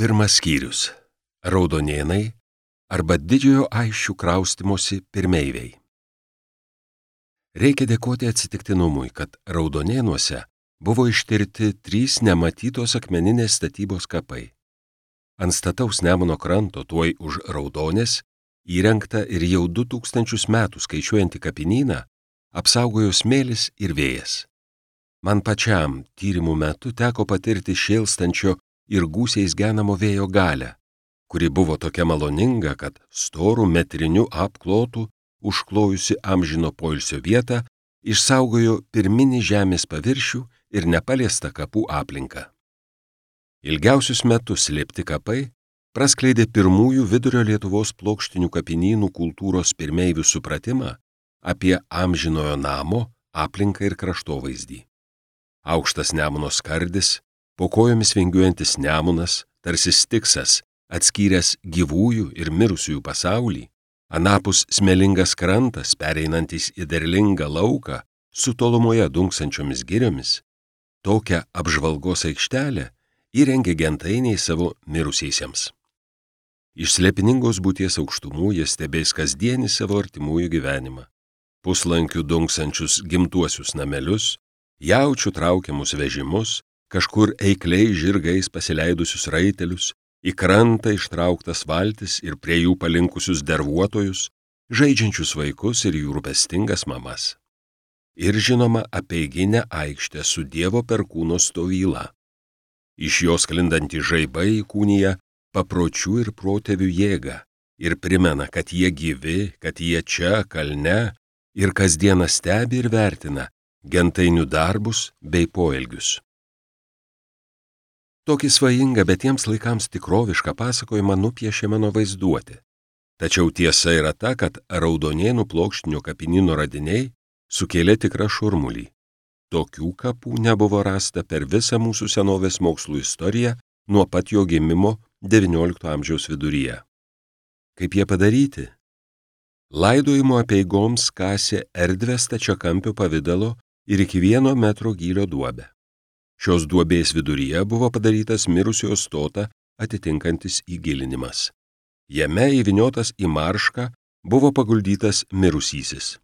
Pirmas skyrius – Raudonėnai arba didžiojo Aisčių kraustimosi pirmeiviai. Reikia dėkoti atsitiktinumui, kad Raudonėnuose buvo ištirti 3 nematytos akmeninės statybos kapai. Ant stataus Nemuno kranto tuoj už Raudonės įrengta ir jau 2000 metų skaičiuojantį kapinyną apsaugojo smėlis ir vėjas. Man pačiam tyrimų metu teko patirti šėlstančio ir gūsiais genamo vėjo galią, kuri buvo tokia maloninga, kad storų metriniu apklotu užklojusi amžino poilsio vietą išsaugojo pirminį žemės paviršių ir nepaliestą kapų aplinką. Ilgiausius metus slėpti kapai praskleidė pirmųjų vidurio Lietuvos plokštinių kapinynų kultūros pirmeivių supratimą apie amžinojo namo aplinką ir kraštovaizdį. Aukštas Nemuno skardis, po kojomis vingiuojantis Nemunas, tarsi stiksas, atskyręs gyvųjų ir mirusiųjų pasaulį, anapus smėlingas krantas, pereinantis į derlingą lauką su tolumoje dunksančiomis giriomis, tokią apžvalgos aikštelę įrengė gentainiai savo mirusiesiems. Iš slėpiningos būties aukštumų jie stebės kasdienį savo artimųjų gyvenimą, puslankių dunksančius gimtuosius namelius, jaučių traukiamus vežimus, kažkur eikliai žirgais pasileidusius raitelius, į krantą ištrauktas valtis ir prie jų palinkusius dervuotojus, žaidžiančius vaikus ir jų rūpestingas mamas. Ir žinoma apeiginę aikštę su Dievo perkūno stovyla. Iš jos sklindanti žaibai įkūnija papročių ir protėvių jėgą ir primena, kad jie gyvi, kad jie čia, kalne, ir kasdieną stebi ir vertina gentainių darbus bei poelgius. Tokį svajingą, bet tiems laikams tikrovišką pasakojimą nupiešė mano vaizduotė. Tačiau tiesa yra ta, kad Raudonėnų plokštinio kapinyno radiniai sukėlė tikrą šurmulį. Tokių kapų nebuvo rasta per visą mūsų senovės mokslų istoriją nuo pat jo gimimo XIX amžiaus viduryje. Kaip jie padaryti? Laidojimo apeigoms kasė erdvę stačiakampio pavidalo ir iki 1 metro gylio duobę. Šios duobės viduryje buvo padarytas mirusiojo stotą atitinkantis įgilinimas. Jame įvyniotas į maršką buvo paguldytas mirusysis.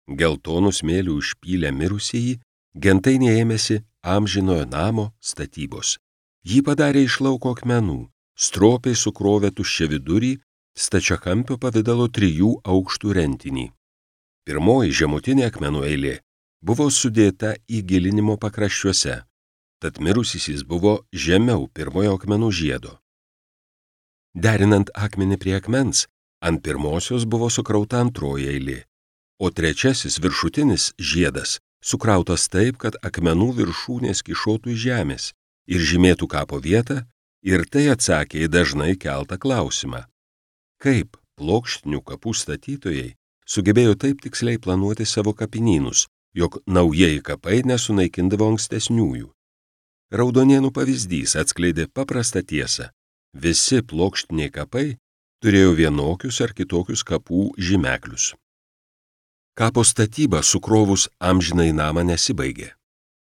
Geltonų smėlių užpylę mirusieji, gentainiai ėmėsi amžinojo namo statybos. Jį padarė iš lauko akmenų, stropiai sukrovė tuščią vidurį, stačiakampio pavidalo 3 aukštų rentinį. Pirmoji žemutinė akmenų eilė buvo sudėta įgilinimo pakraščiuose, tad mirusysis buvo žemiau pirmojo akmenų žiedo. Derinant akmenį prie akmens, ant pirmosios buvo sukrauta antroji eilė, o trečiasis viršutinis žiedas sukrautas taip, kad akmenų viršūnės kišotų iš žemės ir žymėtų kapo vietą, ir tai atsakė į dažnai keltą klausimą. Kaip plokštinių kapų statytojai sugebėjo taip tiksliai planuoti savo kapinynus, jog naujieji kapai nesunaikindavo ankstesniųjų? Raudonėnų pavyzdys atskleidė paprastą tiesą. Visi plokštiniai kapai turėjo vienokius ar kitokius kapų žymeklius. Kapo statyba sukrovus amžinai namą nesibaigė.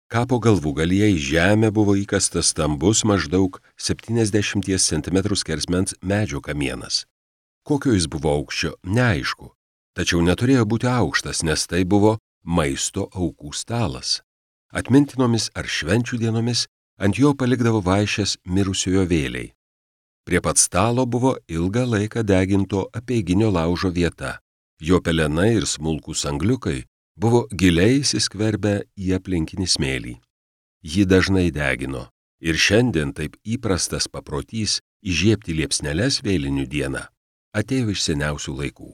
Kapo galvūgalyje į žemę buvo įkastas stambus maždaug 70 cm skersmens medžio kamienas. Kokio jis buvo aukščio, neaišku, tačiau neturėjo būti aukštas, nes tai buvo maisto aukų stalas. Atmintinomis ar švenčių dienomis ant jo palikdavo vaišes mirusiojo vėliai. Prie pat stalo buvo ilgą laiką deginto apeiginio laužo vieta. Jo pelenai ir smulkūs angliukai buvo giliai įsiskverbę į aplinkinį smėlį. Jį dažnai degino ir šiandien taip įprastas paprotys įžiebti liepsneles vėlinių dieną atėjo iš seniausių laikų.